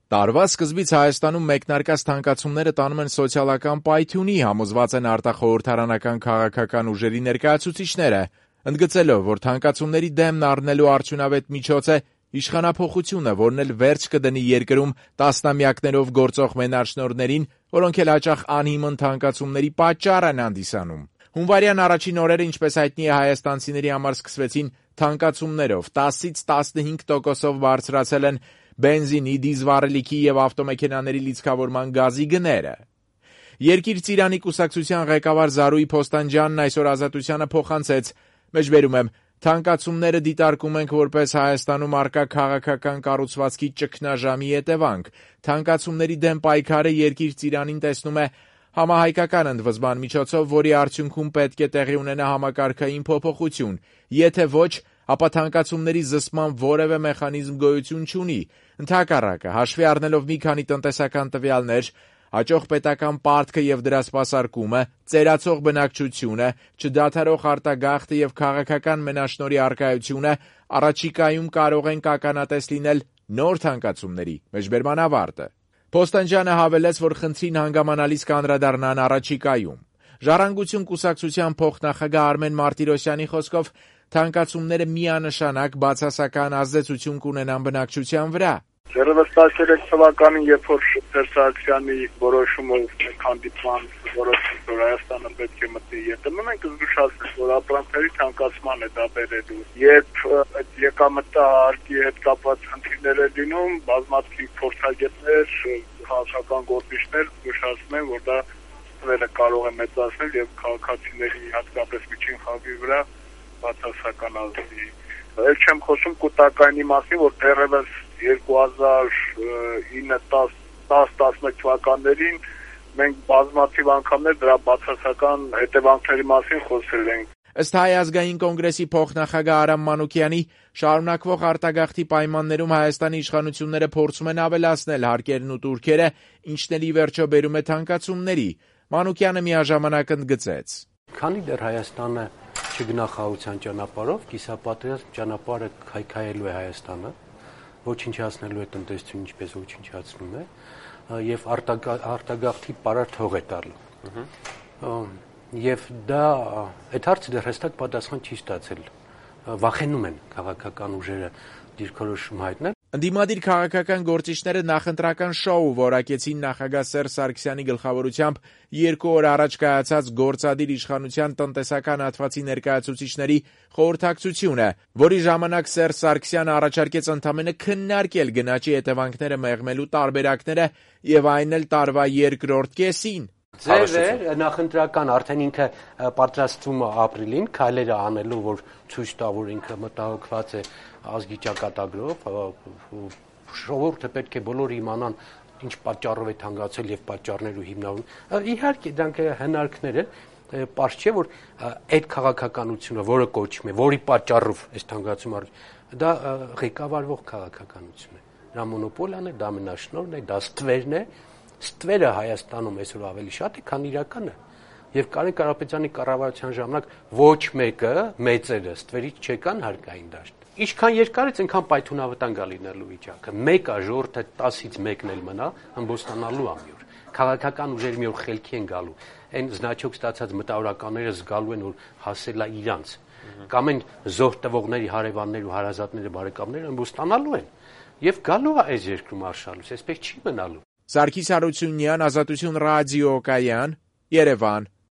Տարվա սկզբից Հայաստանում մեկնարկած թանկացումները տանում են սոցիալական պայթյունի, համոզված են արտախորհրդարանական քաղաքական ուժերի ներկայացուցիչները, ընդգծելով, որ թանկացումների դեմն առնելու արդյունավետ միջոց է իշխանափոխությունը, որն էլ վերջ կդնի երկրում տասնամյակներով գործող մենաշնորհներին, որոնք էլ հաճախ անհիմն թանկացումների պատճառ են հանդիսանում։ Հունվարյան առաջին օրերը, ինչպես հայտնի է, հայաստանցիների համար սկսվեցին թանկացումներով, 10-ից 15%-ով բարձրացել են բենզինի, դիզվառելիքի եւ ավտոմեքենաների լիցքավորման գազի գները։ Երկիր Ծիրանի կուսակցության ղեկավար Զարուհի Փոստանջյանն այսօր Ազատությանը փոխանցեց. «Մեջբերում եմ, թանկացումները դիտարկում ենք որպես Հայաստանում առկա քաղաքական կառուցվածքի ճգնաժամի հետևանք։ Թանկացումների դեմ պայքարը Երկիր Ծիրանին տեսնում է համահայկական ընդվզման միջոցով, որի արդյունքում պետք է տեղի ունենա համակարգային փոփոխություն։ Եթե ոչ, ապա թանկացումների զսպման որևէ մեխանիզմ գոյություն չունի։ Ընդհակառակը, հաշվի առնելով մի քանի տնտեսական տվյալներ, հաջող պետական պարտքը եւ դրա սպասարկումը, ծերացող բնակչությունը, չդադարող արտագաղթը եւ քաղաքական մենաշնորհի առկայությունը, առաջիկայում կարող են ականատես լինել նոր թանկացումների»։ Մեջբերման ավարտը։ Փոստանջյանը հավելեց, որ խնդրին հանգամանալից կանդրադառնան առաջիկայում։ Ժառանգություն կուսակցության փոխնախագահ Արմեն Մարտիրոսյանի խոսքով թանկացումները միանշանակ բացասական ազդեցություն կունենան բնակչության վրա։ Դեռևս 13 թվականին, երբ որ Սերժ Սարգսյանի որոշումով հանդիպման որոշում, որ Հայաստանը պետք է մտնի ԵՏՄ, մենք զգուշացնենք, որ ապրանքների թանկացման է դա բերելու։ Երբ այդ եկամտահարկի հետ կապված խնդիրներ է լինում, բազմաթիվ փորձագետներ, քաղաքական գործիչներ զգուշացնում են, որ դա ստվերը կարող է մեծացնել եւ քաղաքացիների, հատկապես միջին խավի վրա բացասական ազդի։ Էլ չեմ խոսում կൂട്ടակայինի մասին, որ դեռևս 2009-10-11 թվականներին մենք բազմաթիվ անգամներ դրա բացասական հետևանքների մասին խոսել ենք։ Ըստ Հայ ազգային կոնգրեսի փոխնախագահ Արամ Մանուկյանի, շարունակվող արտագաղթի պայմաններում Հայաստանի իշխանությունները փորձում են ավելացնել հարկերն ու տուրքերը, ինչն էլ ի վերջո բերում է թանկացումների։ Մանուկյանը միաժամանակ ընդգծեց. Քանի դեռ Հայաստանը չգնա խաղաղության ճանապարհով, կիսապատերազմ ճանապարհը քայքայելու է Հայաստանը, ոչնչացնելու է տնտեսությունը, ինչպես ոչնչացնում է, եւ արտագաղթի պարարտ հող է տալու։ Եվ դա այդ հարցը դեռ հստակ պատասխան չի ստացել։ Վախենում են քաղաքական ուժերը դիրքորոշում հայտնել։ Ընդդիմադիր քաղաքական գործիչները նախընտրական շոու որակեցին նախագահ Սերժ Սարգսյանի գլխավորությամբ 2 օր առաջ կայացած գործադիր իշխանության տնտեսական հատվածի ներկայացուցիչների խորհրդակցությունը, որի ժամանակ Սերժ Սարգսյանը առաջարկեց ընդամենը քննարկել գնաճի հետևանքները մեղմելու տարբերակները եւ այն էլ տարվա երկրորդ կեսին։ Ձև է նախընտրական, արդեն ինքը պատրաստվում է ապրիլին քայլերը անելու, որ ցույց տա, որ ինքը մտահոգված է ազգի ճակատագրով, ժողովուրդը պետք է բոլորը իմանան ինչ պատճառով է թանկացել եւ պատճառներու հիմնավորում։ Իհարկե դրանք հնարքներ են, պարզ չէ, որ այդ քաղաքականությունը, որը կոչվում է, որի պատճառով այս թանկացումը դա ղեկավարվող քաղաքականություն է։ Դա մոնոպոլիան է, դա մենաշնորհն է, դա ստվերն է։ Ստվերը Հայաստանում այսօր ավելի շատ է, քան իրականը։ Եվ Կարեն Կարապետյանի կառավարության ժամանակ ոչ մեկը մեծերը ստվերից չեկան հարկային դաշտ։ Ինչքան երկար է, այնքան պայթյունավտանգ է լինելու վիճակը։ Մեկը ժողովուրդը 10-ից 1-ն էլ մնա, ըմբոստանալու ամի օր։ Քաղաքական ուժերը մի օր խելքի են գալու։ Այն զնաչոք ստացած մտավորականները զգալու են, որ հասել է իրանց։ Կամ այն զոհ տվողների հարևաններ ու հարազատները, բարեկամները ըմբոստանալու են։ Եվ գալու է այս երկրում արշալուց, այսպես չի մնալու։ Սարգիս Հարությունյան, Ազատություն ռադիո, Կայան, Երևան։